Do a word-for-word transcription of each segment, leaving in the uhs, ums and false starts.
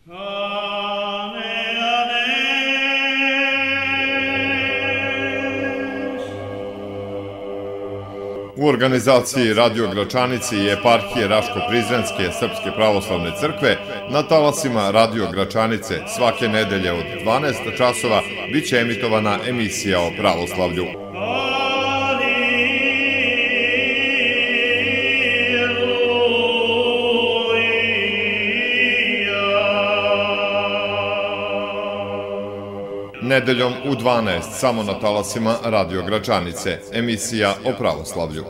U organizaciji Radio Gračanici i eparhije Raško-Prizrenske Srpske pravoslavne crkve na talasima Radio Gračanice svake nedelje od dvanaest časova biće emitovana emisija o pravoslavlju. Nedeljom u dvanaest samo na talasima Radio Gračanice, emisija o pravoslavlju.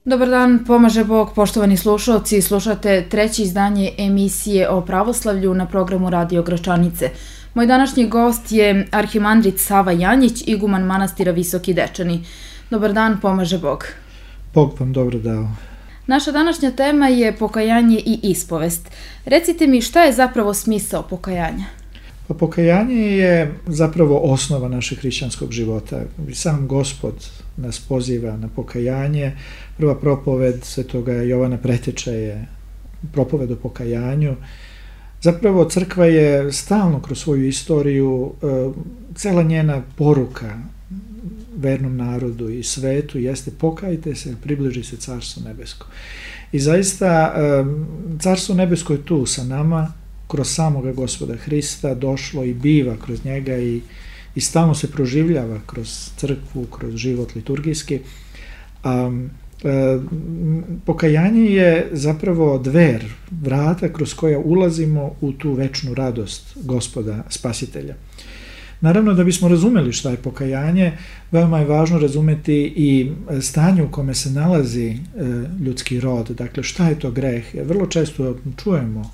Dobar dan, pomaže Bog, poštovani slušalci. Slušate treće izdanje emisije o pravoslavlju na programu Radio Gračanice. Moj današnji gost je arhimandrit Sava Janjić, iguman manastira Visoki Dečani. Dobar dan, pomaže Bog. Bog vam dobro dao. Naša današnja tema je pokajanje i ispovest. Recite mi, šta je zapravo smisao pokajanja? Pa pokajanje je zapravo osnova našeg hrišćanskog života. Sam Gospod nas poziva na pokajanje. Prva propoved svetoga Jovana Preteča je propoved o pokajanju. Zapravo crkva je stalno kroz svoju istoriju, cela njena poruka vernom narodu i svetu jeste pokajte se, približi se Carstvo nebesko. I zaista Carstvo nebesko je tu sa nama, kroz samoga Gospoda Hrista, došlo i biva kroz njega i, i stalno se proživljava kroz crkvu, kroz život liturgijski. Um, E, pokajanje je zapravo dver, vrata kroz koja ulazimo u tu večnu radost Gospoda Spasitelja. Naravno, da bismo razumeli šta je pokajanje, veoma je važno razumeti i stanje u kome se nalazi e, ljudski rod, dakle šta je to greh. Vrlo često čujemo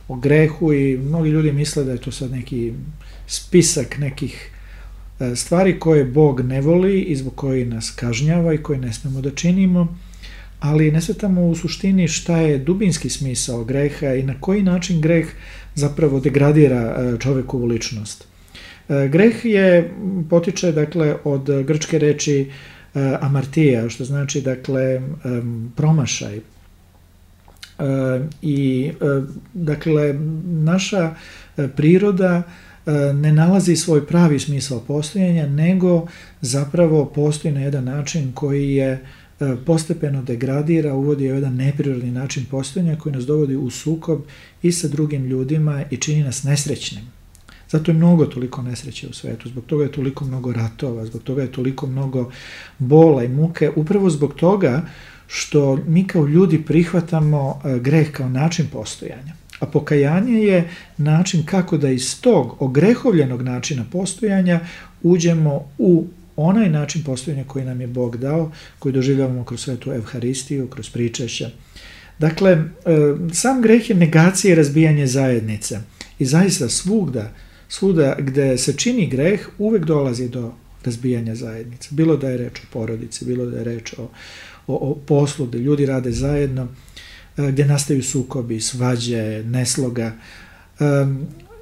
o grehu i mnogi ljudi misle da je to sad neki spisak nekih stvari koje Bog ne voli i zbog koji nas kažnjava i koje ne smemo da činimo, ali ne shvatamo u suštini šta je dubinski smisao greha i na koji način greh zapravo degradira čovekovu ličnost. Greh je, potiče dakle od grčke reči amartija, što znači dakle promašaj. I dakle naša priroda ne nalazi svoj pravi smisao postojanja, nego zapravo postoji na jedan način koji je postepeno degradira, uvodi jedan neprirodni način postojanja koji nas dovodi u sukob i sa drugim ljudima i čini nas nesrećnim. Zato je mnogo toliko nesreće u svetu, zbog toga je toliko mnogo ratova, zbog toga je toliko mnogo bola i muke, upravo zbog toga što mi kao ljudi prihvatamo greh kao način postojanja. A pokajanje je način kako da iz tog ogrehovljenog načina postojanja uđemo u onaj način postojanja koji nam je Bog dao, koji doživljavamo kroz svetu Evharistiju, kroz pričešće. Dakle, sam greh je negacija i razbijanje zajednice. I zaista svugda, svuda gde se čini greh, uvek dolazi do razbijanja zajednice. Bilo da je reč o porodici, bilo da je reč o, o, o poslu, gde ljudi rade zajedno, gdje nastaju sukobi, svađe, nesloga.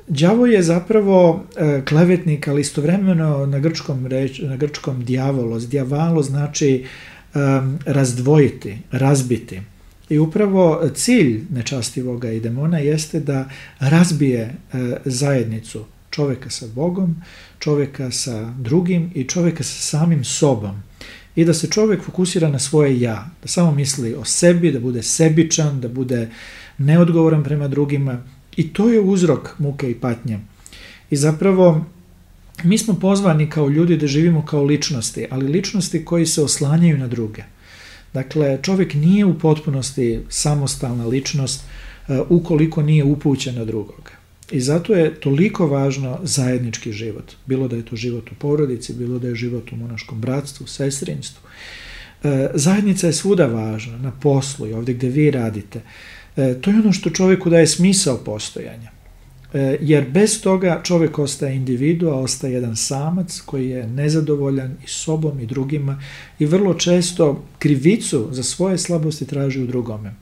Đavo je zapravo klevetnik, ali istovremeno na grčkom, reč, na grčkom diavolos. Diavalo znači um, razdvojiti, razbiti. I upravo cilj nečastivoga i demona jeste da razbije uh, zajednicu čoveka sa Bogom, čoveka sa drugim i čoveka sa samim sobom. I da se čovjek fokusira na svoje ja, da samo misli o sebi, da bude sebičan, da bude neodgovoran prema drugima. I to je uzrok muke i patnje. I zapravo mi smo pozvani kao ljudi da živimo kao ličnosti, ali ličnosti koji se oslanjaju na druge. Dakle, čovjek nije u potpunosti samostalna ličnost uh, ukoliko nije upućen na drugoga. I zato je toliko važno zajednički život. Bilo da je to život u porodici, bilo da je život u monaškom bratstvu, sestrinstvu. E, zajednica je svuda važna, na poslu i ovdje gdje vi radite. E, to je ono što čovjeku daje smisao postojanja. jer bez toga čovjek ostaje individua, ostaje jedan samac koji je nezadovoljan i sobom i drugima i vrlo često krivicu za svoje slabosti traži u drugome.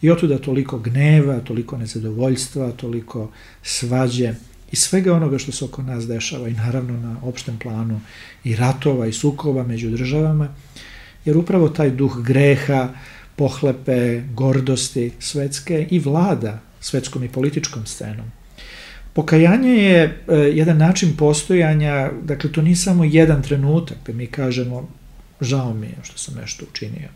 I otuda toliko gneva, toliko nezadovoljstva, toliko svađe i svega onoga što se oko nas dešava i naravno na opštem planu i ratova i sukoba među državama, jer upravo taj duh greha, pohlepe, gordosti svetske i vlada svetskom i političkom scenom. Pokajanje je e, jedan način postojanja, dakle to nije samo jedan trenutak, pa mi kažemo žao mi je što sam nešto učinio,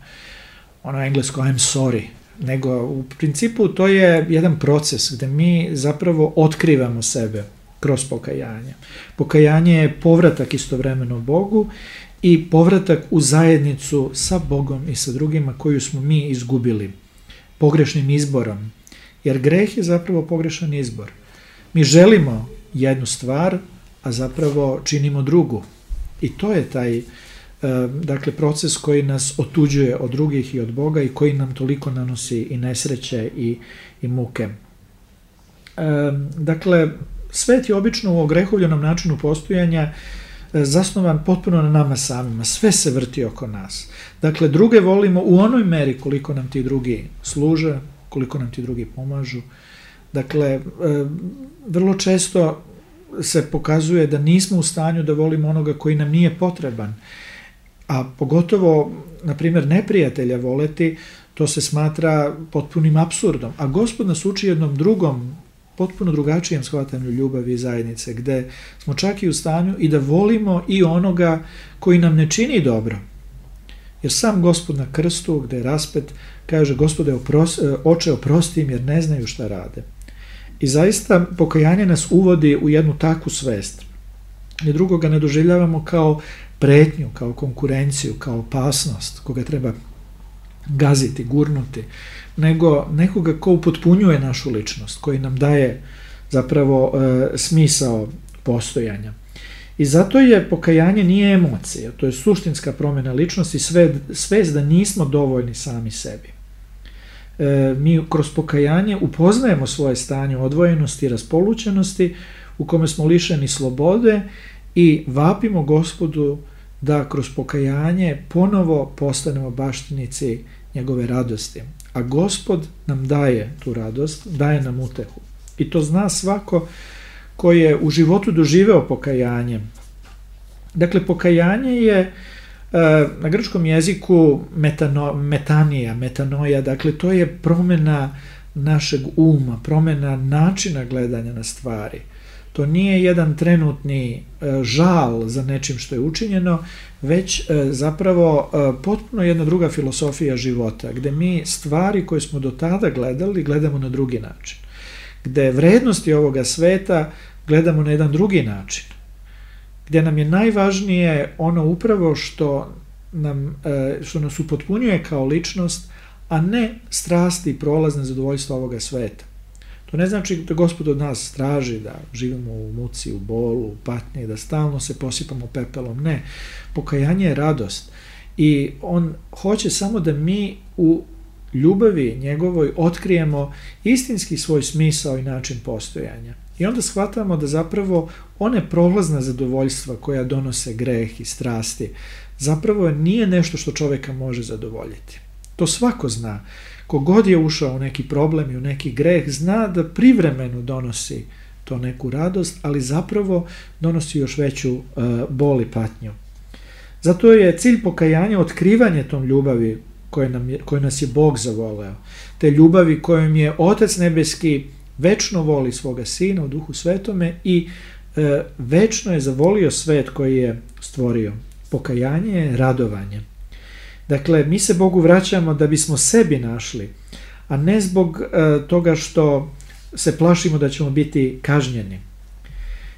ono englesko I'm sorry, nego u principu to je jedan proces gde mi zapravo otkrivamo sebe kroz pokajanje. Pokajanje je povratak istovremeno Bogu i povratak u zajednicu sa Bogom i sa drugima koju smo mi izgubili pogrešnim izborom, jer greh je zapravo pogrešan izbor. Mi želimo jednu stvar, a zapravo činimo drugu. I to je taj dakle, proces koji nas otuđuje od drugih i od Boga i koji nam toliko nanosi i nesreće i, i muke. Dakle, svet je obično u ogrehovljenom načinu postojanja zasnovan potpuno na nama samima. Sve se vrti oko nas. Dakle, druge volimo u onoj meri koliko nam ti drugi služe, koliko nam ti drugi pomažu. Dakle, vrlo često se pokazuje da nismo u stanju da volimo onoga koji nam nije potreban. A pogotovo, na primjer, neprijatelja voleti, to se smatra potpunim apsurdom. A Gospod nas uči jednom drugom, potpuno drugačijem shvatanju ljubavi i zajednice, gde smo čak i u stanju i da volimo i onoga koji nam ne čini dobro. Jer sam Gospod na krstu, gde je raspet, kaže Gospode, opros, oče oprosti im jer ne znaju šta rade. I zaista pokajanje nas uvodi u jednu takvu svest. I drugoga ne doživljavamo kao pretnju, kao konkurenciju, kao opasnost koga treba gaziti, gurnuti, nego nekoga ko upotpunjuje našu ličnost, koji nam daje zapravo e, smisao postojanja. I zato je pokajanje nije emocija, to je suštinska promjena ličnosti, sve, svest da nismo dovoljni sami sebi. E, mi kroz pokajanje upoznajemo svoje stanje odvojenosti i raspolućenosti u kome smo lišeni slobode i vapimo Gospodu da kroz pokajanje ponovo postanemo baštinici njegove radosti. A Gospod nam daje tu radost, daje nam utehu. I to zna svako ko je u životu doživeo pokajanje. Dakle, pokajanje je na grčkom jeziku metano, metanija, metanoja, dakle to je promjena našeg uma, promjena načina gledanja na stvari. To nije jedan trenutni žal za nečim što je učinjeno, već zapravo potpuno jedna druga filosofija života, gde mi stvari koje smo do tada gledali, gledamo na drugi način. Gde vrednosti ovoga sveta gledamo na jedan drugi način. Gdje nam je najvažnije ono upravo što, nam, što nas upotpunjuje kao ličnost, a ne strasti i prolazne zadovoljstva ovoga sveta. To ne znači da Gospod od nas traži da živimo u muci, u bolu, u patnji, da stalno se posipamo pepelom. Ne, pokajanje je radost i on hoće samo da mi u ljubavi njegovoj otkrijemo istinski svoj smisao i način postojanja. I onda shvatamo da zapravo one prolazna zadovoljstva koja donose greh i strasti zapravo nije nešto što čovjeka može zadovoljiti. To svako zna. Kogod je ušao u neki problem i u neki greh zna da privremeno donosi to neku radost, ali zapravo donosi još veću uh, bol i patnju. Zato je cilj pokajanja otkrivanje tom ljubavi koje, nam je, koje nas je Bog zavoleo. Te ljubavi kojom je Otac nebeski večno voli svoga Sina u Duhu Svetome i e, večno je zavolio svet koji je stvorio. Pokajanje je radovanje. Dakle, mi se Bogu vraćamo da bismo sebi našli, a ne zbog e, toga što se plašimo da ćemo biti kažnjeni.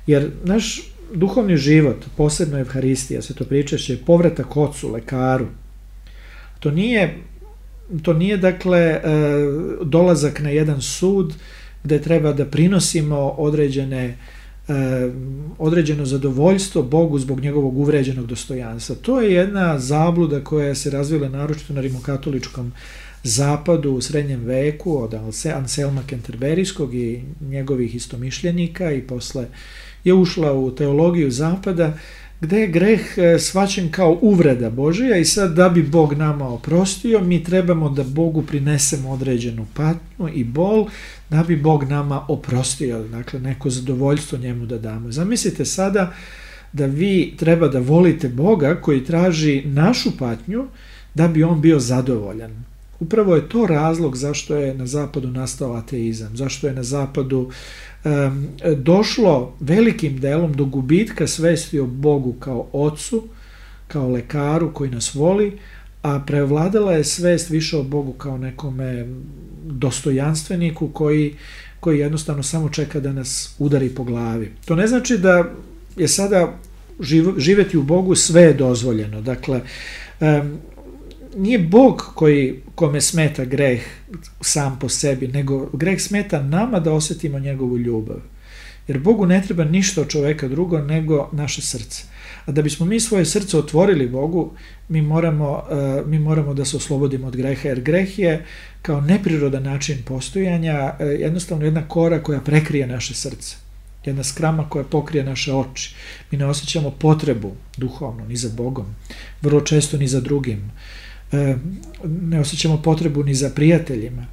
Jer naš duhovni život, posebno Evharistija, se to pričaše, je povratak Ocu, lekaru. To nije, to nije dakle, e, dolazak na jedan sud gde treba da prinosimo određene, e, određeno zadovoljstvo Bogu zbog njegovog uvređenog dostojanstva. To je jedna zabluda koja se razvila naročito na rimokatoličkom zapadu u srednjem veku od Anselma Kenterberijskog i njegovih istomišljenika i posle je ušla u teologiju zapada, gde je greh shvaćen kao uvreda Božija i sad da bi Bog nama oprostio, mi trebamo da Bogu prinesemo određenu patnju i bol, da bi Bog nama oprostio, dakle neko zadovoljstvo njemu da damo. Zamislite sada da vi treba da volite Boga koji traži našu patnju da bi on bio zadovoljan. Upravo je to razlog zašto je na zapadu nastao ateizam, zašto je na zapadu um, došlo velikim delom do gubitka svesti o Bogu kao ocu, kao lekaru koji nas voli, a prevladala je svest više o Bogu kao nekome dostojanstveniku koji, koji jednostavno samo čeka da nas udari po glavi. To ne znači da je sada živ, živeti u Bogu sve je dozvoljeno. Dakle, um, nije Bog koji, kome smeta greh sam po sebi, nego greh smeta nama da osjetimo njegovu ljubav. Jer Bogu ne treba ništa od čoveka drugo nego naše srce. A da bismo mi svoje srce otvorili Bogu, mi moramo, uh, mi moramo da se oslobodimo od greha, jer greh je kao neprirodan način postojanja uh, jednostavno jedna kora koja prekrije naše srce. Jedna skrama koja pokrije naše oči. Mi ne osjećamo potrebu duhovno, ni za Bogom, vrlo često ni za drugim. Ne osjećamo potrebu ni za prijateljima.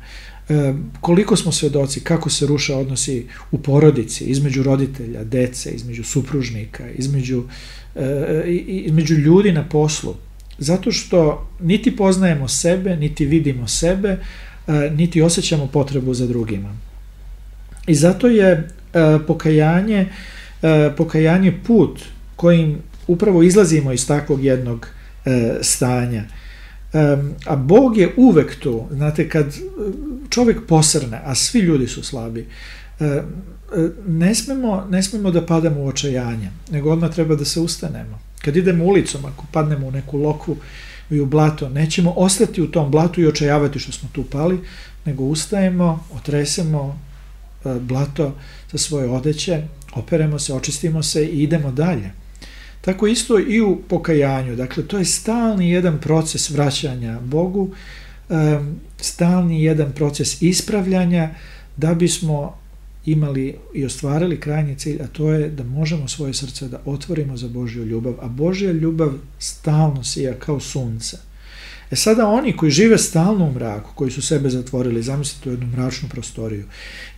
Koliko smo svedoci kako se ruše odnosi u porodici, između roditelja, dece, između supružnika, između, između ljudi na poslu. Zato što niti poznajemo sebe, niti vidimo sebe, niti osjećamo potrebu za drugima. I zato je pokajanje, pokajanje put kojim upravo izlazimo iz takvog jednog stanja. Um, a Bog je uvek tu, znate, kad čovjek posrne, a svi ljudi su slabi, um, ne smemo, ne smemo da padamo u očajanje, nego odmah treba da se ustanemo. Kad idemo ulicom, ako padnemo u neku lokvu i u blato, nećemo ostati u tom blatu i očajavati što smo tu pali, nego ustajemo, otresemo uh, blato sa svoje odeće, operemo se, očistimo se i idemo dalje. Tako isto i u pokajanju. Dakle, to je stalni jedan proces vraćanja Bogu, stalni jedan proces ispravljanja da bismo imali i ostvarili krajnji cilj, a to je da možemo svoje srce da otvorimo za Božju ljubav, a Božja ljubav stalno sija kao sunce. E sada oni koji žive stalno u mraku, koji su sebe zatvorili, zamislite u jednu mračnu prostoriju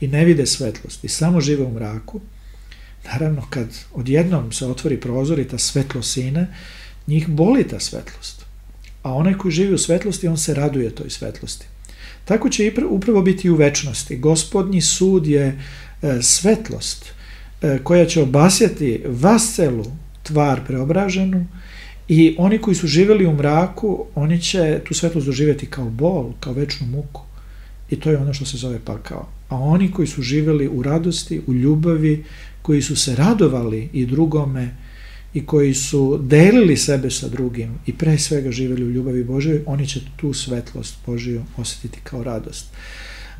i ne vide svetlost i samo žive u mraku, naravno, kad odjednom se otvori prozor i ta svetlost sine, njih boli ta svetlost. A onaj koji živi u svetlosti, on se raduje toj svetlosti. Tako će upravo biti i u večnosti. Gospodnji sud je e, svetlost e, koja će obasjati vas celu tvar preobraženu i oni koji su živjeli u mraku, oni će tu svetlost doživjeti kao bol, kao večnu muku. I to je ono što se zove pakao. A oni koji su živjeli u radosti, u ljubavi, koji su se radovali i drugome i koji su delili sebe sa drugim i pre svega živjeli u ljubavi Božoj, oni će tu svetlost Božiju osjetiti kao radost.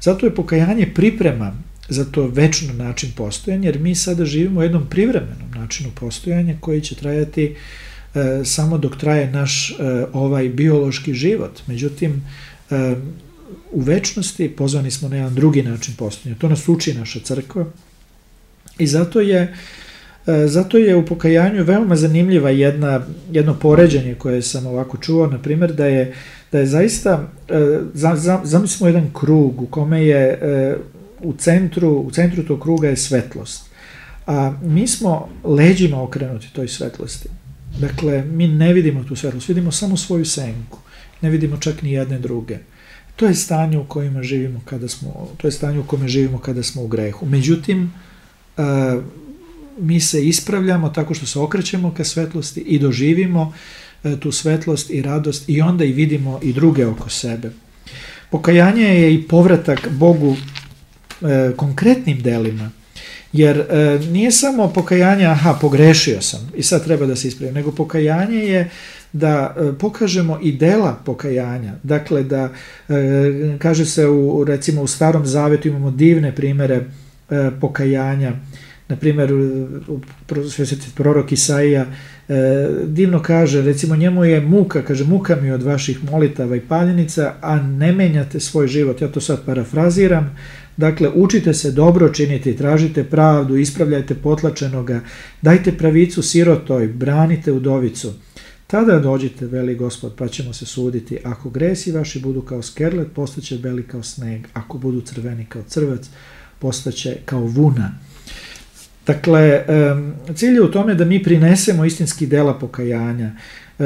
Zato je pokajanje priprema za to večno način postojanja, jer mi sada živimo u jednom privremenom načinu postojanja koji će trajati e, samo dok traje naš e, ovaj biološki život. Međutim, e, u večnosti pozvani smo na jedan drugi način postojanja. To nas uči naša crkva. I zato je, zato je u pokajanju veoma zanimljiva jedna, jedno poređenje koje sam ovako čuo, na primjer, da je, da je zaista, zamislimo jedan krug u kome je u centru, u centru tog kruga je svetlost, a mi smo leđima okrenuti toj svetlosti. Dakle, mi ne vidimo tu svetlost, vidimo samo svoju senku, ne vidimo čak ni jedne druge. To je stanje u kojima živimo kada smo, to je stanje u kome živimo kada smo u grehu. Međutim, Uh, mi se ispravljamo tako što se okrećemo ka svetlosti i doživimo uh, tu svetlost i radost i onda i vidimo i druge oko sebe. Pokajanje je i povratak Bogu uh, konkretnim delima, jer uh, nije samo pokajanje, aha, pogrešio sam i sad treba da se ispravim, nego pokajanje je da uh, pokažemo i dela pokajanja. Dakle, da uh, kaže se u, recimo u Starom Zavetu imamo divne primere pokajanja. Na primjer, sveti prorok Isaija e, divno kaže, recimo njemu je muka, kaže muka mi od vaših molitava i paljenica, a ne menjate svoj život. Ja to sad parafraziram. Dakle, učite se dobro činiti, tražite pravdu, ispravljajte potlačenoga, dajte pravicu sirotoj, branite udovicu. Tada dođite, veli Gospod, pa ćemo se suditi. Ako gresi vaši budu kao skerlet, postaće beli kao sneg. Ako budu crveni kao crvac, postaće kao vuna. Dakle, cilj je u tome da mi prinesemo istinski dela pokajanja.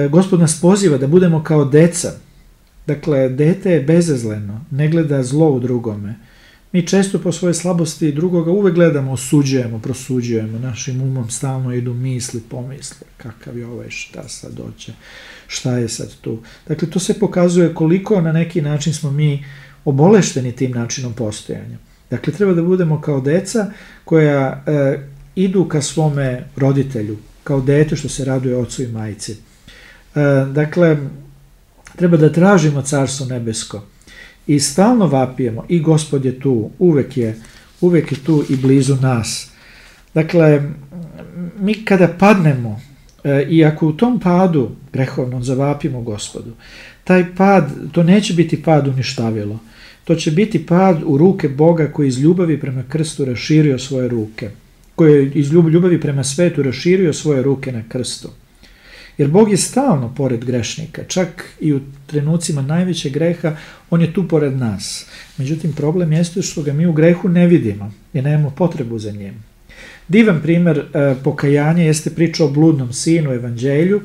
Gospod nas poziva da budemo kao deca. Dakle, dete je bezazleno, ne gleda zlo u drugome. Mi često po svoje slabosti drugoga uvek gledamo, osuđujemo, prosuđujemo, našim umom stalno idu misli, pomisli, kakav je ovaj, šta sad doće, šta je sad tu. Dakle, to se pokazuje koliko na neki način smo mi obolešteni tim načinom postojanja. Dakle, treba da budemo kao deca koja e, idu ka svome roditelju, kao dete što se raduje ocu i majci. E, dakle, treba da tražimo Carstvo nebesko i stalno vapijemo i Gospod je tu, uvek je, uvek je tu i blizu nas. Dakle, mi kada padnemo e, i ako u tom padu grehovnom zavapimo Gospodu, taj pad, to neće biti pad uništavilo. To će biti pad u ruke Boga koji iz ljubavi prema krstu raširio svoje ruke. Koji je iz ljubavi prema svetu raširio svoje ruke na krstu. Jer Bog je stalno pored grešnika. Čak i u trenucima najvećeg greha, on je tu pored nas. Međutim, problem jeste što ga mi u grehu ne vidimo i nemamo potrebu za njim. Divan primjer e, pokajanja jeste priča o bludnom sinu u evanđelju,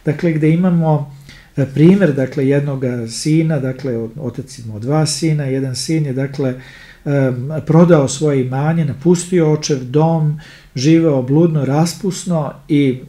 dakle gde imamo primjer, dakle, jednog sina, dakle, otac ima dva sina, jedan sin je, dakle, um, prodao svoje imanje, napustio očev dom, živeo bludno, raspusno i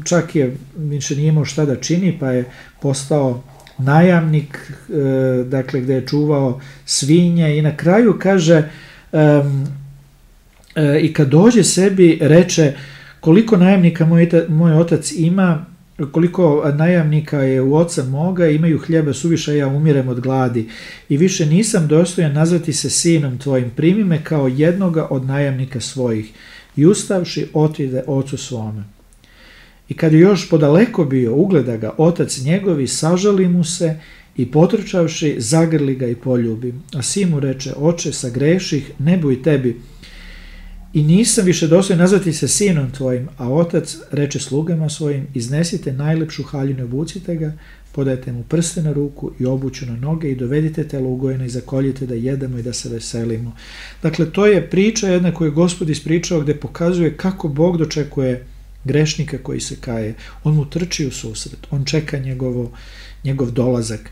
čak je više nije imao šta da čini, pa je postao najamnik, uh, dakle, gde je čuvao svinje i na kraju kaže um, uh, i kad dođe sebi reče koliko najamnika moj, moj otac ima, koliko najamnika je u oca moga, imaju hljeba suviše, ja umirem od gladi i više nisam dostojan nazvati se sinom tvojim, primi me kao jednoga od najamnika svojih. I ustavši otide ocu svome. I kad je još podaleko bio, ugleda ga otac njegovi, sažali mu se i potrčavši, zagrli ga i poljubi. A sin mu reče, oče, sagreših, ne buj tebi, i nisam više dostojan nazvati se sinom tvojim, a otac reče slugama svojim, iznesite najlepšu haljinu, obucite ga, podajte mu prste na ruku i obuću na noge i dovedite telo ugojeno i zakoljite da jedemo i da se veselimo. Dakle, to je priča jedna koju je Gospod ispričao gde pokazuje kako Bog dočekuje grešnika koji se kaje. On mu trči u susret, on čeka njegovo, njegov dolazak.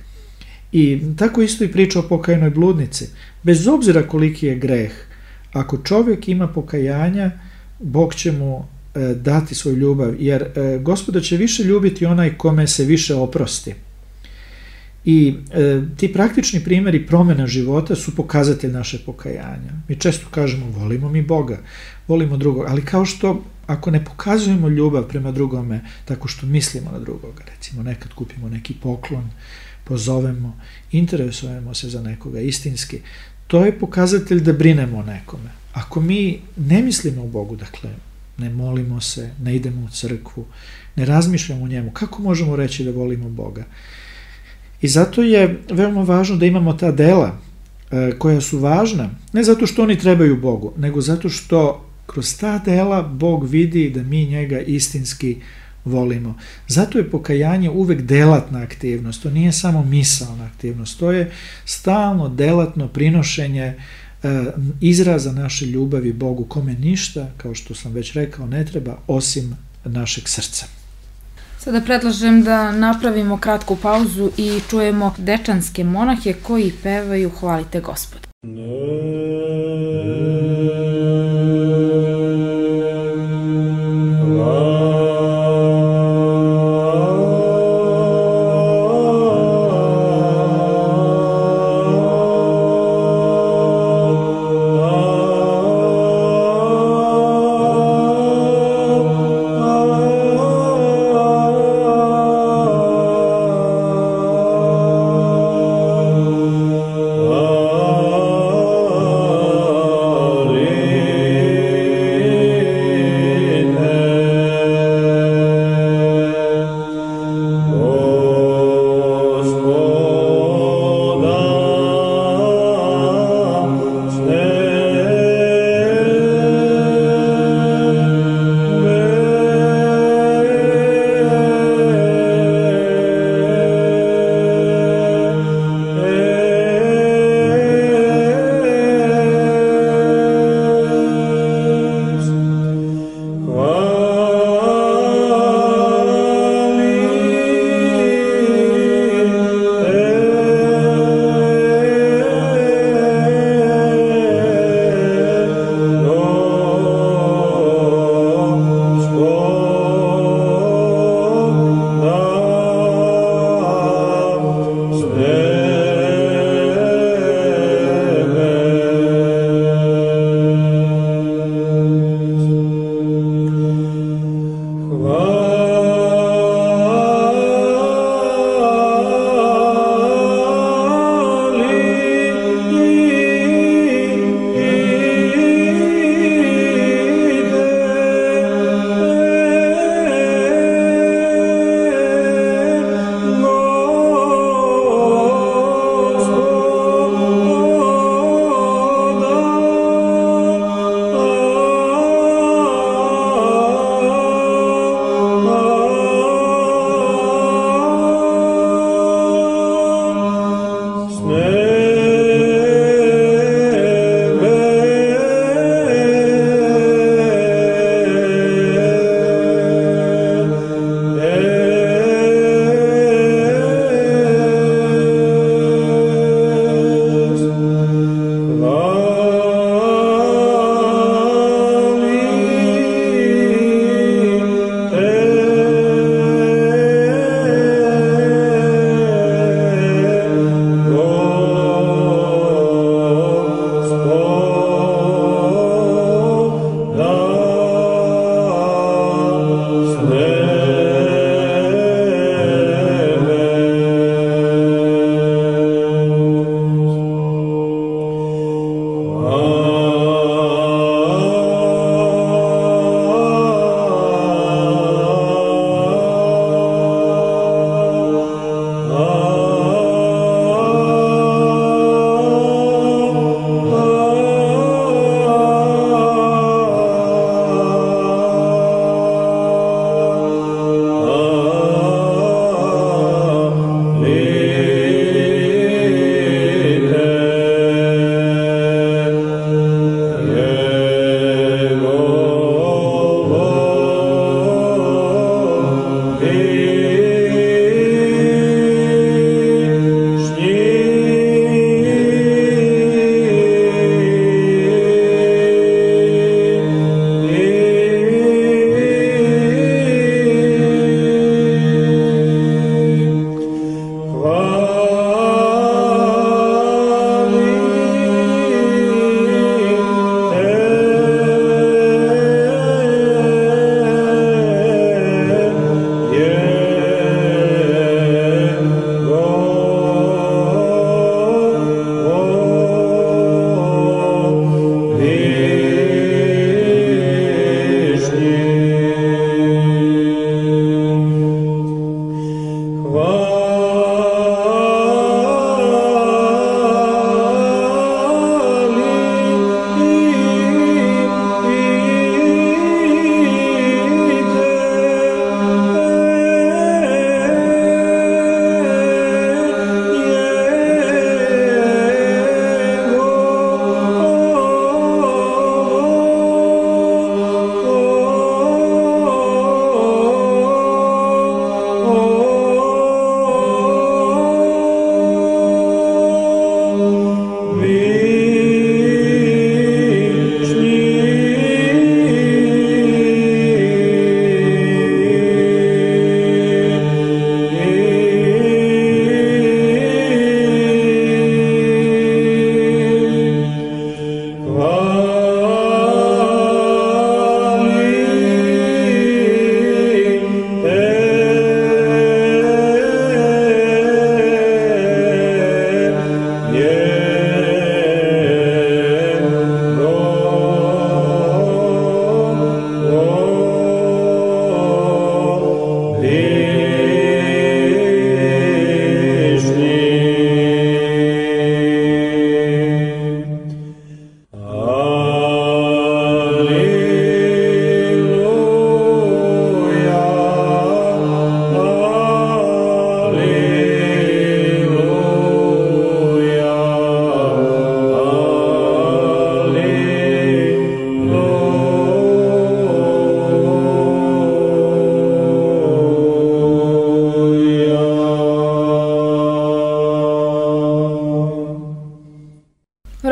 I tako isto i priča o pokajanoj bludnici. Bez obzira koliki je greh, ako čovjek ima pokajanja, Bog će mu e, dati svoju ljubav, jer e, Gospoda će više ljubiti onaj kome se više oprosti. I e, ti praktični primjeri promjena života su pokazatelj naše pokajanja. Mi često kažemo, volimo mi Boga, volimo drugog, ali kao što ako ne pokazujemo ljubav prema drugome tako što mislimo na drugoga, recimo nekad kupimo neki poklon, pozovemo, interesujemo se za nekoga istinski, to je pokazatelj da brinemo o nekome. Ako mi ne mislimo u Bogu, dakle, ne molimo se, ne idemo u crkvu, ne razmišljamo o njemu, kako možemo reći da volimo Boga? I zato je veoma važno da imamo ta dela e, koja su važna, ne zato što oni trebaju Bogu, nego zato što kroz ta dela Bog vidi da mi njega istinski volimo. Zato je pokajanje uvek delatna aktivnost, to nije samo misaona aktivnost, to je stalno delatno prinošenje e, izraza naše ljubavi Bogu, kome ništa, kao što sam već rekao, ne treba osim našeg srca. Sada predlažem da napravimo kratku pauzu i čujemo dečanske monahe koji pevaju Hvalite Gospoda. Oh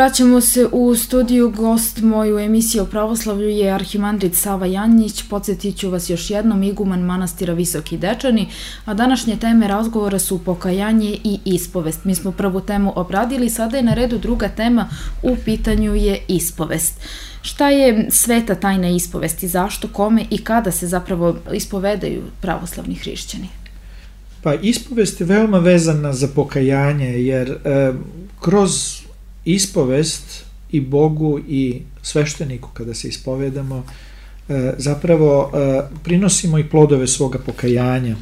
Vraćamo se u studiju. Gost moju emisiju o pravoslavlju je arhimandrit Sava Janjić. Podsjetit ću vas još jednom, iguman manastira Visoki Dečani, a današnje teme razgovora su pokajanje i ispovest. Mi smo prvu temu obradili, sada je na redu druga tema, u pitanju je ispovest. Šta je sveta tajna ispovesti, zašto, kome i kada se zapravo ispovedaju pravoslavni hrišćani? Pa ispovest je veoma vezana za pokajanje, jer e, kroz ispovest i Bogu i svešteniku kada se ispovedamo e, zapravo e, prinosimo i plodove svoga pokajanja.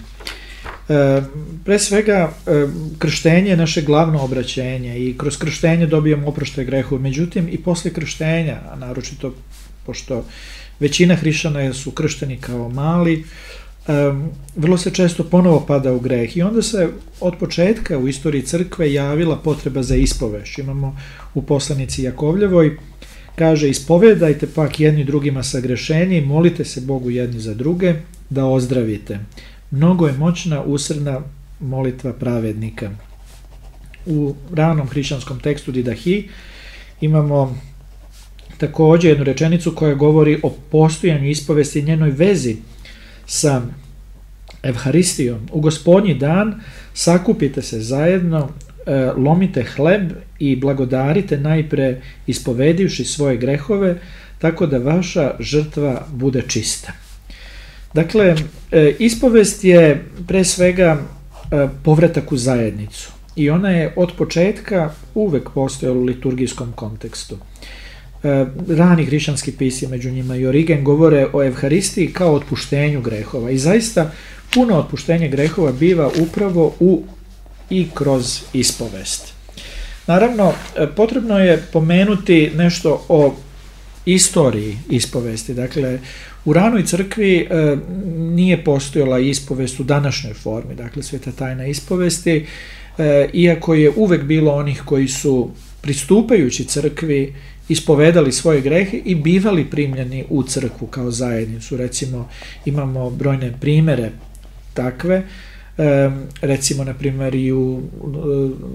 E, pre svega e, krštenje je naše glavno obraćenje i kroz krštenje dobijamo oproštaj grehova, međutim i posle krštenja, a naročito pošto većina hrišćana su kršteni kao mali, Um, vrlo se često ponovo pada u greh i onda se od početka u istoriji crkve javila potreba za ispovest. Imamo u poslanici Jakovljevoj, kaže: ispovedajte pak jedni drugima sagrešeni, molite se Bogu jedni za druge da ozdravite. Mnogo je moćna usrdna molitva pravednika. U ranom hrišćanskom tekstu Didahi imamo također jednu rečenicu koja govori o postojanju ispovesti i njenoj vezi sa Evharistijom. U Gospodnji dan sakupite se zajedno, lomite hleb i blagodarite najpre ispovedivši svoje grehove, tako da vaša žrtva bude čista. Dakle, ispovest je pre svega povratak u zajednicu i ona je od početka uvek postojala u liturgijskom kontekstu. Rani hrišćanski pisci, među njima i Origen, govore o Evharistiji kao otpuštenju grehova i zaista puno otpuštenje grehova biva upravo u i kroz ispovest. Naravno, potrebno je pomenuti nešto o istoriji ispovesti. Dakle, u ranoj crkvi e, nije postojala ispovest u današnjoj formi, dakle sveta tajna ispovesti, e, iako je uvek bilo onih koji su pristupajući crkvi ispovedali svoje grehe i bivali primljeni u crkvu kao zajednicu. Recimo, imamo brojne primere takve, e, recimo, na primjer, i u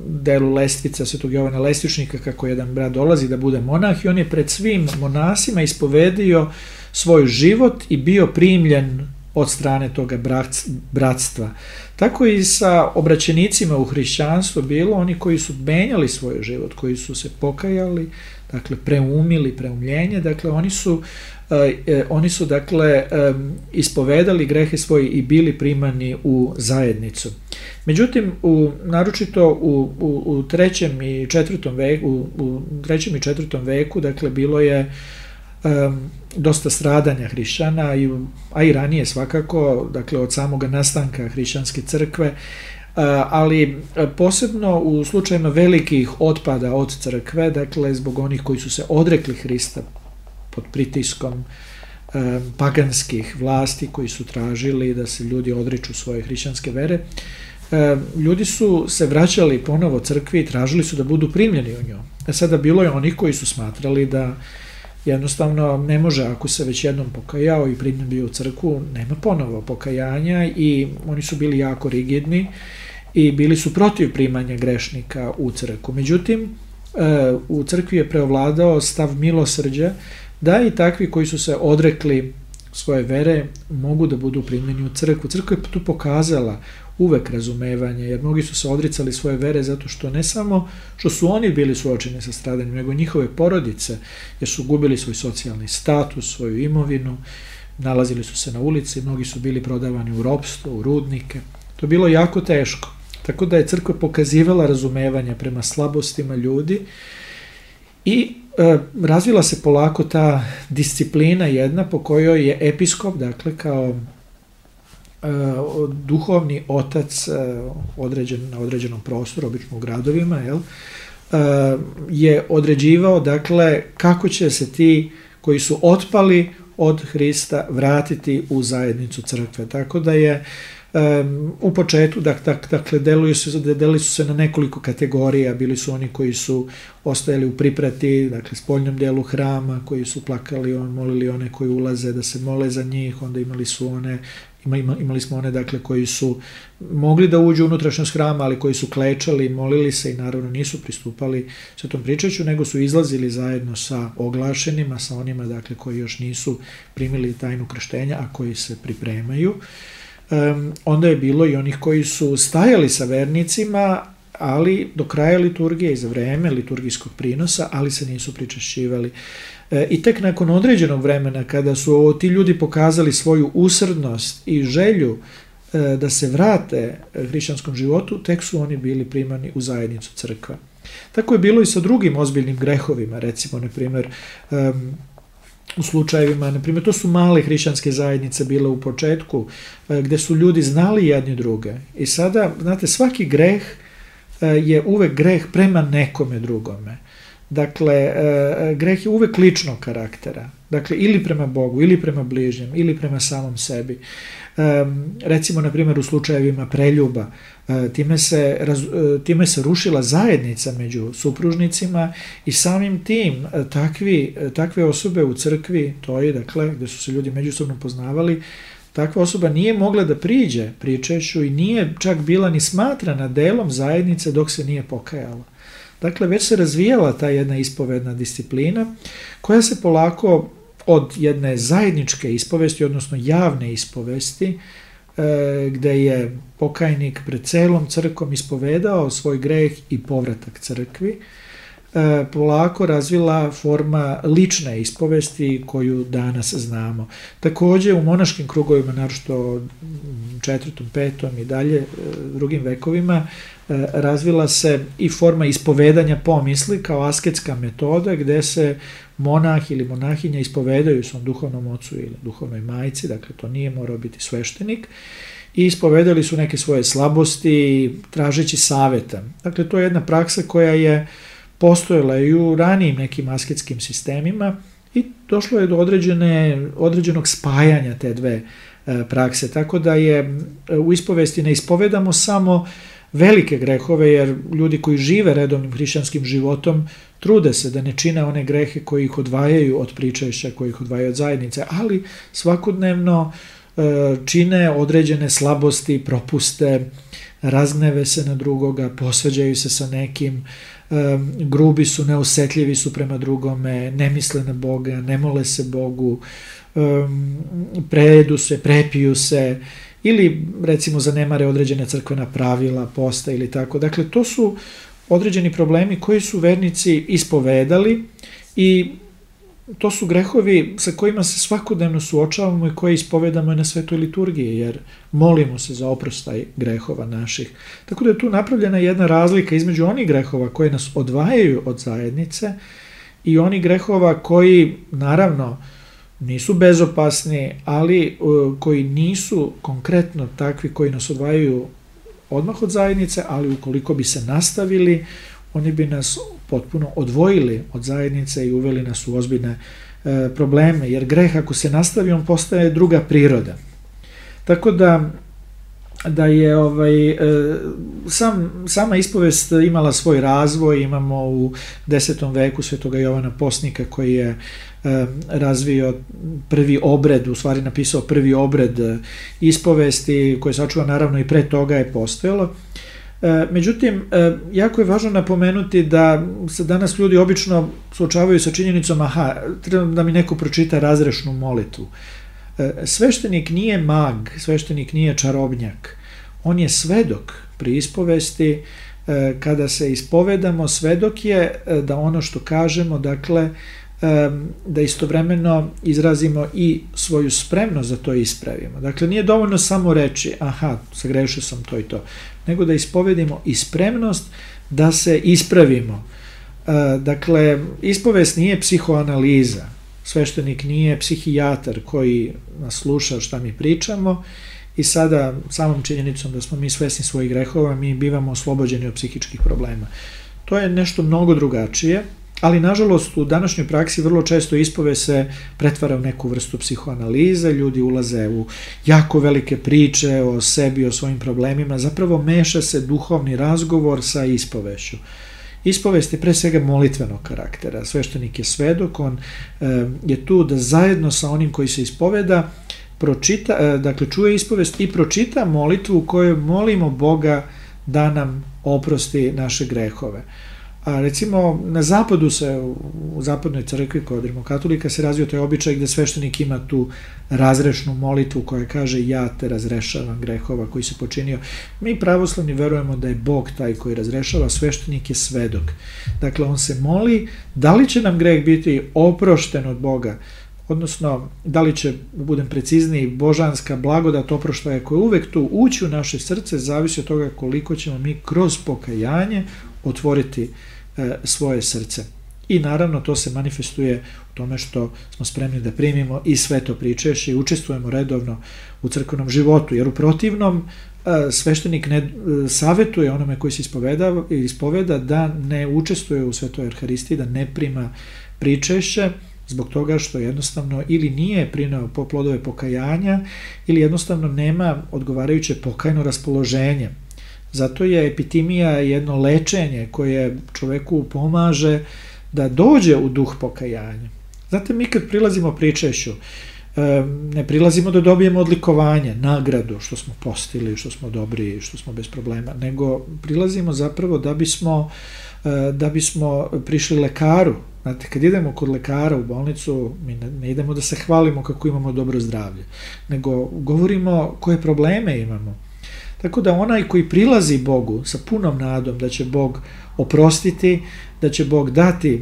delu Lestvica Svetog Jovana Lestičnika, kako jedan brat dolazi da bude monah i on je pred svim monasima ispovedio svoj život i bio primljen od strane toga bratstva. Tako i sa obraćenicima u hrišćanstvu bilo, oni koji su menjali svoj život, koji su se pokajali, dakle preumili, preumljenje, dakle oni su, eh, oni su dakle eh, ispovedali grehe svoje i bili primani u zajednicu. Međutim, u, naročito u, u, u trećem i četvrtom veku, u, u trećem i četvrtom veku, dakle bilo je Um, dosta stradanja hrišćana, a i ranije svakako, dakle od samoga nastanka hrišćanske crkve, uh, ali posebno u slučajima velikih otpada od crkve, dakle zbog onih koji su se odrekli Hrista pod pritiskom um, paganskih vlasti koji su tražili da se ljudi odriču svoje hrišćanske vere, um, ljudi su se vraćali ponovo crkvi i tražili su da budu primljeni u nju. A sada bilo je onih koji su smatrali da jednostavno ne može, ako se već jednom pokajao i primljen bio u crkvu, nema ponovo pokajanja i oni su bili jako rigidni i bili su protiv primanja grešnika u crkvu. Međutim, u crkvi je preovladao stav milosrđa da i takvi koji su se odrekli svoje vere mogu da budu primljeni u crkvu. Crkva je tu pokazala uvek razumevanje, jer mnogi su se odricali svoje vere zato što ne samo što su oni bili suočeni sa stradanjem, nego njihove porodice, jer su gubili svoj socijalni status, svoju imovinu, nalazili su se na ulici, mnogi su bili prodavani u ropstvo, u rudnike. To je bilo jako teško. Tako da je crkva pokazivala razumevanje prema slabostima ljudi i e, razvila se polako ta disciplina jedna po kojoj je episkop, dakle kao duhovni otac određen, na određenom prostoru, obično u gradovima, jel, je određivao, dakle, kako će se ti koji su otpali od Hrista vratiti u zajednicu crkve. Tako da je U početku, dakle, delili su, delili su se na nekoliko kategorija, bili su oni koji su ostajali u priprati, dakle, spoljnom delu hrama, koji su plakali, on, molili one koji ulaze da se mole za njih, onda imali su one, ima, imali smo one, dakle, koji su mogli da uđu u unutrašnjost hrama, ali koji su klečali, molili se i naravno nisu pristupali Svetom pričašću, nego su izlazili zajedno sa oglašenima, sa onima, dakle, koji još nisu primili tajnu krštenja, a koji se pripremaju. Um, onda je bilo i onih koji su stajali sa vernicima, ali do kraja liturgije i za vreme liturgijskog prinosa, ali se nisu pričašćivali. E, I tek nakon određenog vremena, kada su ti ljudi pokazali svoju usrdnost i želju e, da se vrate hrišćanskom životu, tek su oni bili primani u zajednicu crkva. Tako je bilo i sa drugim ozbiljnim grehovima, recimo, na primjer, um, u slučajevima, na primjer, to su male hrišćanske zajednice bile u početku, gde su ljudi znali jedni druge. I sada, znate, svaki greh je uvek greh prema nekome drugome. Dakle, greh je uvek ličnog karaktera. Dakle, ili prema Bogu, ili prema bližnjem, ili prema samom sebi. Recimo, na primjer, u slučajevima preljuba, time se, time se rušila zajednica među supružnicima i samim tim takvi, takve osobe u crkvi, to je, dakle, gde su se ljudi međusobno poznavali, takva osoba nije mogla da priđe pričašću i nije čak bila ni smatrana delom zajednice dok se nije pokajala. Dakle, već se razvijala ta jedna ispovedna disciplina koja se polako od jedne zajedničke ispovesti, odnosno javne ispovesti, gde je pokajnik pred celom crkvom ispovedao svoj greh i povratak crkvi, polako razvila forma lične ispovesti koju danas znamo. Takođe, u monaškim krugovima, naročito četvrtom, petom i dalje drugim vekovima, razvila se i forma ispovedanja pomisli kao asketska metoda gde se monah ili monahinja ispovedaju svom duhovnom ocu ili duhovnoj majci, dakle to nije morao biti sveštenik, i ispovedali su neke svoje slabosti tražeći saveta. Dakle, to je jedna praksa koja je postojala i u ranijim nekim asketskim sistemima i došlo je do određene, određenog spajanja te dve prakse, tako da je u ispovesti ne ispovedamo samo velike grehove, jer ljudi koji žive redovnim hrišćanskim životom trude se da ne čine one grehe koji ih odvajaju od pričašća, koji ih odvajaju od zajednice, ali svakodnevno čine određene slabosti, propuste, razgneve se na drugoga, posvađaju se sa nekim, grubi su, neosetljivi su prema drugome, ne misle na Boga, ne mole se Bogu, prejedu se, prepiju se, ili recimo zanemare određene crkvena pravila, posta ili tako. Dakle, to su određeni problemi koji su vernici ispovedali i to su grehovi sa kojima se svakodnevno suočavamo i koje ispovedamo na svetoj liturgiji, jer molimo se za oprostaj grehova naših. Tako da je tu napravljena jedna razlika između onih grehova koje nas odvajaju od zajednice i onih grehova koji, naravno, nisu bezopasni, ali uh, koji nisu konkretno takvi koji nas odvajaju odmah od zajednice, ali ukoliko bi se nastavili, oni bi nas potpuno odvojili od zajednice i uveli nas u ozbiljne e, probleme, jer greh ako se nastavi, on postaje druga priroda. Tako da, da je ovaj, e, sam, sama ispovest imala svoj razvoj. Imamo u desetom veku svetoga Jovana Postnika koji je e, razvio prvi obred, u stvari napisao prvi obred ispovesti, koje sačuva naravno i pre toga je postojalo. Međutim, jako je važno napomenuti da se danas ljudi obično suočavaju sa činjenicom, aha, treba da mi neko pročita razrešnu molitvu. Sveštenik nije mag, sveštenik nije čarobnjak. On je svedok pri ispovesti. Kada se ispovedamo, svedok je da ono što kažemo, dakle, da istovremeno izrazimo i svoju spremnost da to ispravimo. Dakle, nije dovoljno samo reći, aha, sagrešio sam to i to, nego da ispovedimo i spremnost da se ispravimo. Dakle, ispovest nije psihoanaliza, sveštenik nije psihijatar koji nas sluša šta mi pričamo i sada samom činjenicom da smo mi svesni svojih grehova, mi bivamo oslobođeni od psihičkih problema. To je nešto mnogo drugačije, ali nažalost u današnjoj praksi vrlo često ispovest se pretvara u neku vrstu psihoanalize, ljudi ulaze u jako velike priče o sebi, o svojim problemima, zapravo meša se duhovni razgovor sa ispovešću. Ispovest je pre svega molitvenog karaktera, sveštenik je svedok, on e, je tu da zajedno sa onim koji se ispoveda, pročita, e, dakle čuje ispovest i pročita molitvu u kojoj molimo Boga da nam oprosti naše grehove. A recimo na zapadu se, u zapadnoj crkvi kod rimokatolika se razvio taj običaj gde sveštenik ima tu razrešnu molitvu koja kaže ja te razrešavam grehova koji se počinio. Mi pravoslavni verujemo da je Bog taj koji razrešava, sveštenik je svedok. Dakle, on se moli da li će nam greh biti oprošten od Boga, odnosno da li će, budem precizniji, božanska blagodat oproštaja koja je uvek tu ući u naše srce, zavisi od toga koliko ćemo mi kroz pokajanje otvoriti e, svoje srce. I naravno to se manifestuje u tome što smo spremni da primimo i sveto pričešće i učestvujemo redovno u crkvenom životu, jer u protivnom e, sveštenik ne e, savetuje onome koji se ispoveda, ispoveda da ne učestvuje u svetoj Euharistiji, da ne prima pričešće, zbog toga što jednostavno ili nije prineo po plodove pokajanja ili jednostavno nema odgovarajuće pokajno raspoloženje. Zato je epitimija jedno lečenje koje čoveku pomaže da dođe u duh pokajanja. Znate, mi kad prilazimo pričešću, ne prilazimo da dobijemo odlikovanje, nagradu, što smo postili, što smo dobri, što smo bez problema, nego prilazimo zapravo da bismo, da bismo prišli lekaru. Znate, kad idemo kod lekara u bolnicu, mi ne, ne idemo da se hvalimo kako imamo dobro zdravlje, nego govorimo koje probleme imamo. Tako da onaj koji prilazi Bogu sa punom nadom da će Bog oprostiti, da će Bog dati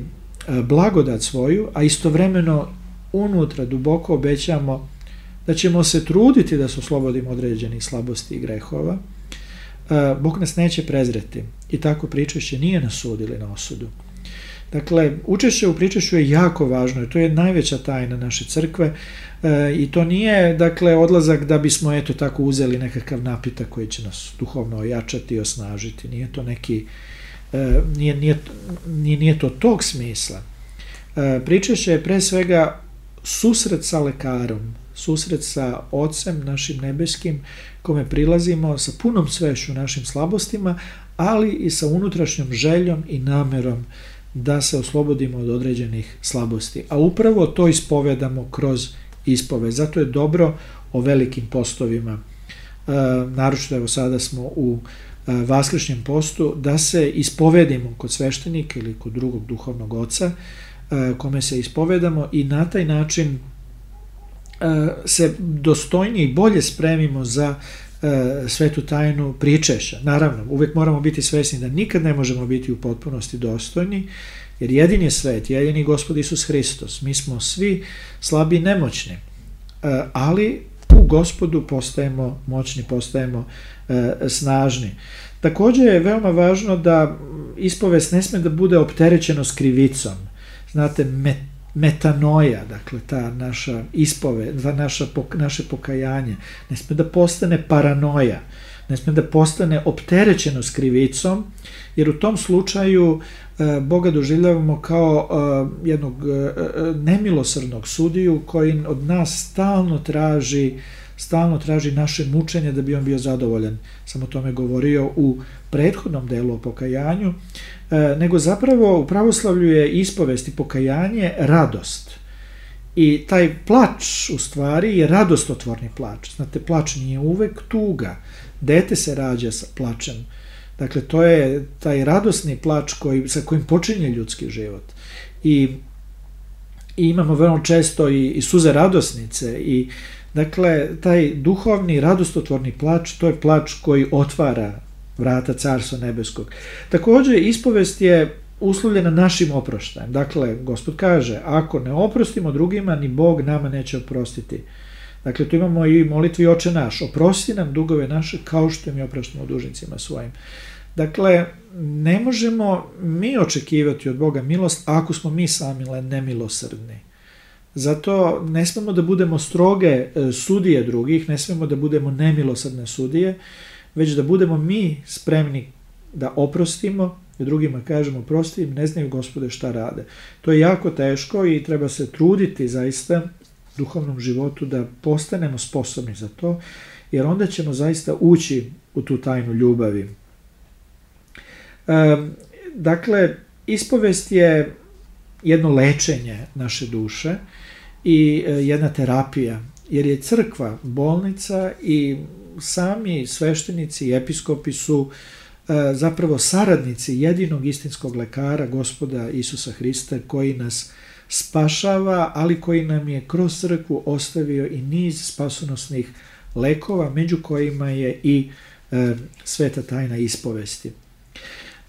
blagodat svoju, a istovremeno unutra duboko obećamo da ćemo se truditi da se oslobodimo određenih slabosti i grehova, Bog nas neće prezreti. I tako pričešće nije nas sudili na osudu. Dakle, učešće u pričešću je jako važno, to je najveća tajna naše crkve e, i to nije, dakle, odlazak da bismo, eto, tako uzeli nekakav napitak koji će nas duhovno ojačati i osnažiti. Nije to neki, e, nije, nije, nije, nije to tog smisla. E, pričešće je pre svega susret sa lekarom, susret sa Ocem našim nebeskim, kome prilazimo sa punom svešću našim slabostima, ali i sa unutrašnjom željom i namerom da se oslobodimo od određenih slabosti. A upravo to ispovedamo kroz ispoved. Zato je dobro o velikim postovima, e, naročito evo sada smo u e, vaskršnjem postu, da se ispovedimo kod sveštenika ili kod drugog duhovnog oca, e, kome se ispovedamo i na taj način e, se dostojnije i bolje spremimo za svetu tajnu pričešća. Naravno, uvek moramo biti svesni da nikad ne možemo biti u potpunosti dostojni, jer jedini je svet, jedini Gospod Isus Hristos. Mi smo svi slabi i nemoćni, ali u Gospodu postajemo moćni, postajemo snažni. Također je veoma važno da ispovest ne sme da bude opterećeno s krivicom. Znate, met metanoja, dakle ta naša ispove, ta naša, naše pokajanje, ne sme da postane paranoja, ne sme da postane opterećeno s krivicom, jer u tom slučaju e, Boga doživljavamo kao e, jednog e, nemilosrdnog sudiju koji od nas stalno traži stalno traži naše mučenje da bi on bio zadovoljan. Sam o tome govorio u prethodnom delu o pokajanju, e, nego zapravo u pravoslavlju je ispovest i pokajanje radost. I taj plač u stvari je radostotvorni plač. Znate, plač nije uvek tuga. Dete se rađa sa plačem. Dakle, to je taj radosni plač koji, sa kojim počinje ljudski život. I, i imamo veoma često i, i suze radosnice i dakle, taj duhovni, radostotvorni plač, to je plač koji otvara vrata Carstva nebeskog. Također, ispovest je uslovljena našim oproštajem. Dakle, Gospod kaže, ako ne oprostimo drugima, ni Bog nama neće oprostiti. Dakle, tu imamo i molitvi Oče naš, oprosti nam dugove naše kao što mi opraštamo dužnicima svojim. Dakle, ne možemo mi očekivati od Boga milost ako smo mi sami nemilosrdni. Zato ne smemo da budemo stroge sudije drugih, ne smemo da budemo nemilosrdne sudije, već da budemo mi spremni da oprostimo i drugima kažemo prosti im, ne znaju Gospode šta rade. To je jako teško i treba se truditi zaista u duhovnom životu da postanemo sposobni za to, jer onda ćemo zaista ući u tu tajnu ljubavi. E, dakle, ispovest je jedno lečenje naše duše i jedna terapija, jer je crkva bolnica i sami sveštenici i episkopi su e, zapravo saradnici jedinog istinskog lekara, Gospoda Isusa Hrista, koji nas spašava, ali koji nam je kroz crkvu ostavio i niz spasonosnih lekova, među kojima je i e, sveta tajna ispovesti.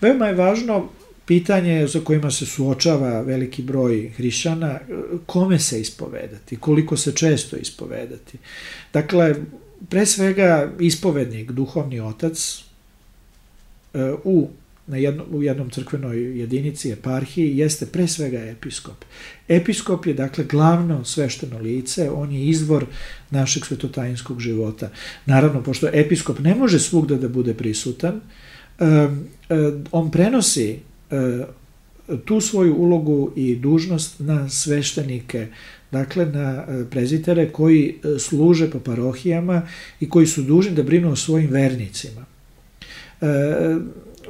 Veoma je važno pitanje za kojima se suočava veliki broj hrišćana, kome se ispovedati, koliko se često ispovedati. Dakle, pre svega ispovednik, duhovni otac, u, na jedno, u jednom crkvenoj jedinici, eparhiji, jeste pre svega episkop. Episkop je, dakle, glavno svešteno lice, on je izvor našeg svetotajinskog života. Naravno, pošto episkop ne može svugda da bude prisutan, on prenosi tu svoju ulogu i dužnost na sveštenike, dakle na prezitere koji služe po parohijama i koji su dužni da brinu o svojim vernicima.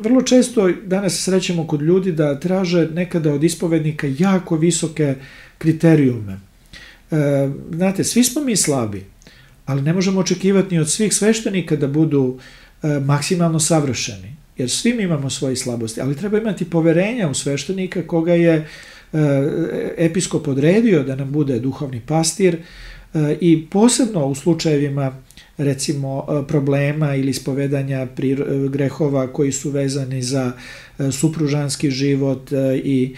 Vrlo često danas srećemo kod ljudi da traže nekada od ispovednika jako visoke kriterijume. Znate, svi smo mi slabi, ali ne možemo očekivati ni od svih sveštenika da budu maksimalno savršeni, jer svi mi imamo svoje slabosti, ali treba imati poverenja u sveštenika koga je episkop odredio da nam bude duhovni pastir i posebno u slučajevima recimo problema ili ispovedanja grehova koji su vezani za supružanski život i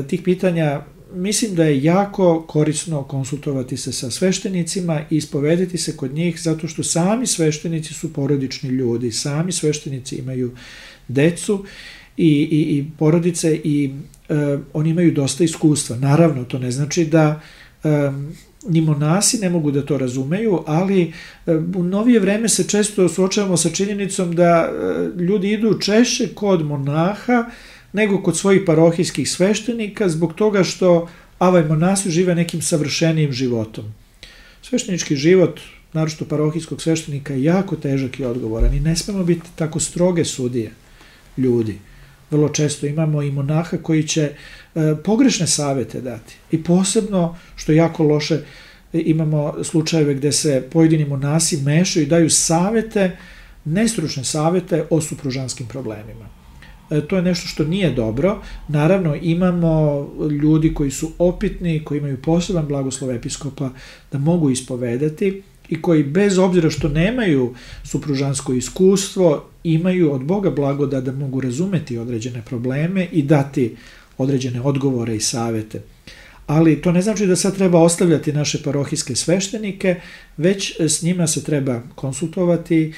tih pitanja. Mislim da je jako korisno konsultovati se sa sveštenicima i ispovedati se kod njih, zato što sami sveštenici su porodični ljudi, sami sveštenici imaju decu i, i, i porodice i e, oni imaju dosta iskustva. Naravno, to ne znači da e, ni monasi ne mogu da to razumeju, ali e, u novije vreme se često suočavamo sa činjenicom da e, ljudi idu češće kod monaha nego kod svojih parohijskih sveštenika, zbog toga što avaj monasi žive nekim savršenijim životom. Sveštenički život, naročito parohijskog sveštenika, je jako težak i odgovoran i ne smemo biti tako stroge sudije ljudi. Vrlo često imamo i monaha koji će e, pogrešne savete dati. I posebno, što je jako loše, imamo slučajeve gde se pojedini monasi mešaju i daju savete, nestručne savete o supružanskim problemima. To je nešto što nije dobro. Naravno, imamo ljudi koji su opitni, koji imaju poseban blagoslov episkopa da mogu ispovedati i koji bez obzira što nemaju supružansko iskustvo, imaju od Boga blagodat da mogu razumeti određene probleme i dati određene odgovore i savete. Ali to ne znači da sad treba ostavljati naše parohijske sveštenike, već s njima se treba konsultovati,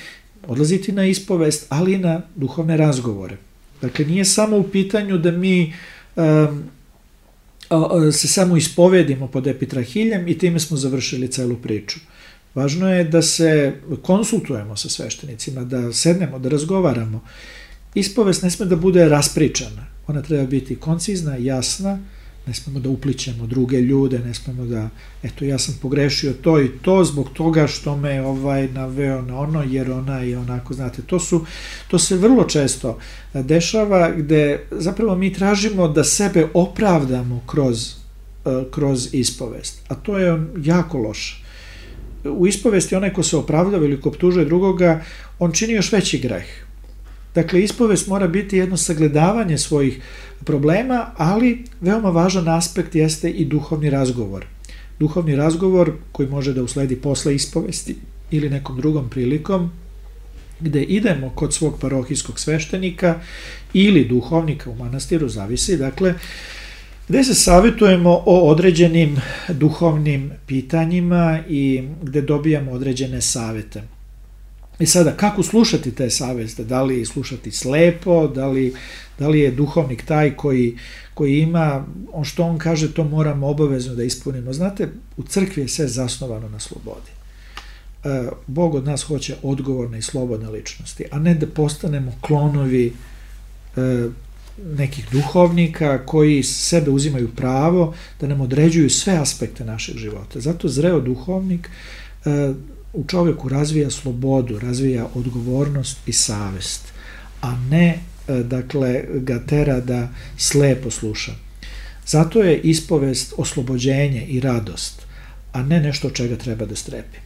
odlaziti na ispovest, ali i na duhovne razgovore. Dakle, nije samo u pitanju da mi um, se samo ispovedimo pod epitrahiljem i time smo završili celu priču. Važno je da se konsultujemo sa sveštenicima, da sednemo, da razgovaramo. Ispovest ne sme da bude raspričana. Ona treba biti koncizna, jasna, ne smemo da uplićemo druge ljude, ne smemo da, eto, ja sam pogrešio to i to zbog toga što me ovaj naveo na ono, jer ona je onako, znate, to su, to se vrlo često dešava, gde zapravo mi tražimo da sebe opravdamo kroz, kroz ispovest, a to je jako loše. U ispovesti onaj ko se opravdava ili ko optužuje drugoga, on čini još veći greh. Dakle, ispovest mora biti jedno sagledavanje svojih problema, ali veoma važan aspekt jeste i duhovni razgovor. Duhovni razgovor koji može da usledi posle ispovesti ili nekom drugom prilikom, gde idemo kod svog parohijskog sveštenika ili duhovnika u manastiru, zavisi, dakle, gde se savjetujemo o određenim duhovnim pitanjima i gde dobijamo određene savete. I sada, kako slušati te savete? Da li slušati slepo, da li, da li je duhovnik taj koji, koji ima, on što on kaže, to moramo obavezno da ispunimo. Znate, u crkvi je sve zasnovano na slobodi. Bog od nas hoće odgovorne i slobodne ličnosti, a ne da postanemo klonovi nekih duhovnika koji sebe uzimaju pravo da nam određuju sve aspekte našeg života. Zato zreo duhovnik u čovjeku razvija slobodu, razvija odgovornost i savest, a ne, dakle, ga tera da slepo sluša. Zato je ispovest oslobođenje i radost, a ne nešto od čega treba da strepi.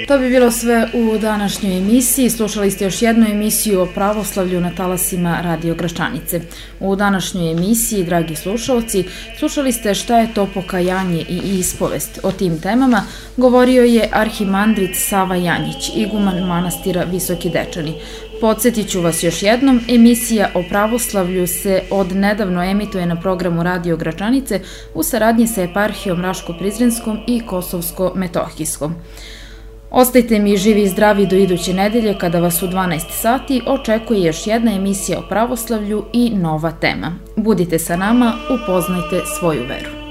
To bi bilo sve u današnjoj emisiji. Slušali ste još jednu emisiju o pravoslavlju na talasima Radio Gračanice. U današnjoj emisiji, dragi slušalci, slušali ste šta je to pokajanje i ispovest. O tim temama govorio je arhimandrit Sava Janjić, iguman manastira Visoki Dečani. Podsjetit ću vas još jednom, emisija o pravoslavlju se od nedavno emituje na programu Radio Gračanice u saradnji sa eparhijom Raško-Prizrenskom i Kosovsko-Metohijskom. Ostajte mi živi i zdravi do iduće nedelje kada vas u dvanaest sati očekuje još jedna emisija o pravoslavlju i nova tema. Budite sa nama, upoznajte svoju veru.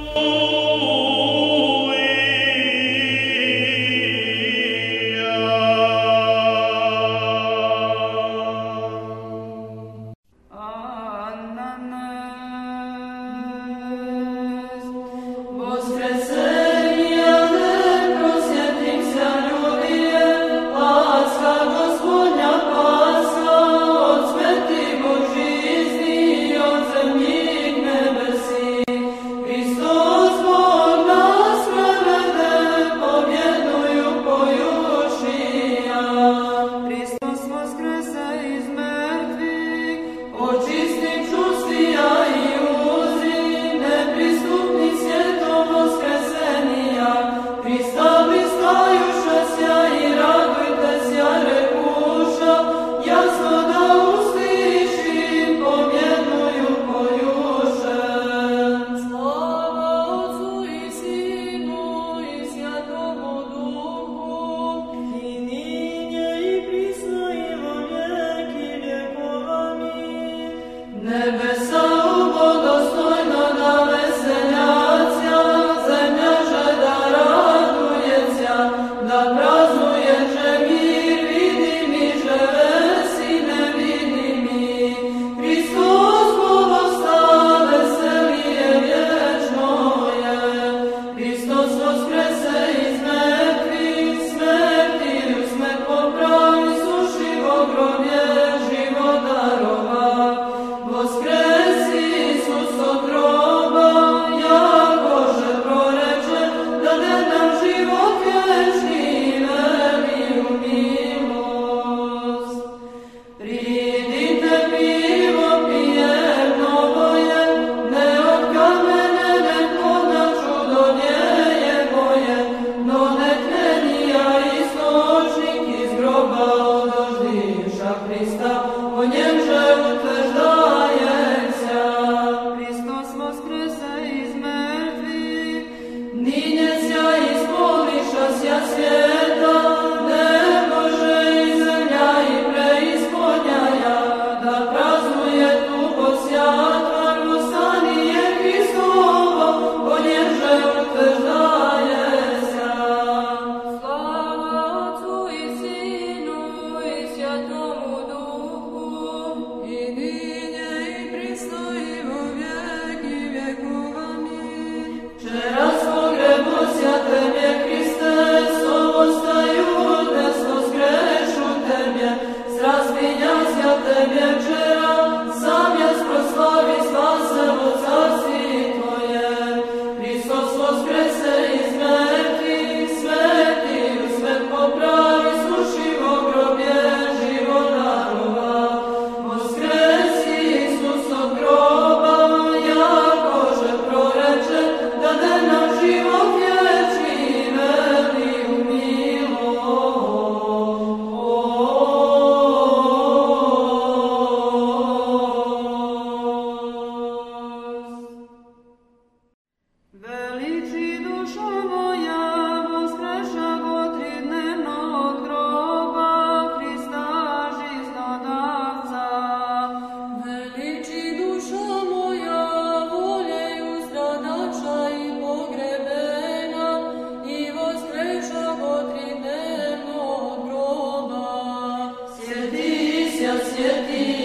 svjeti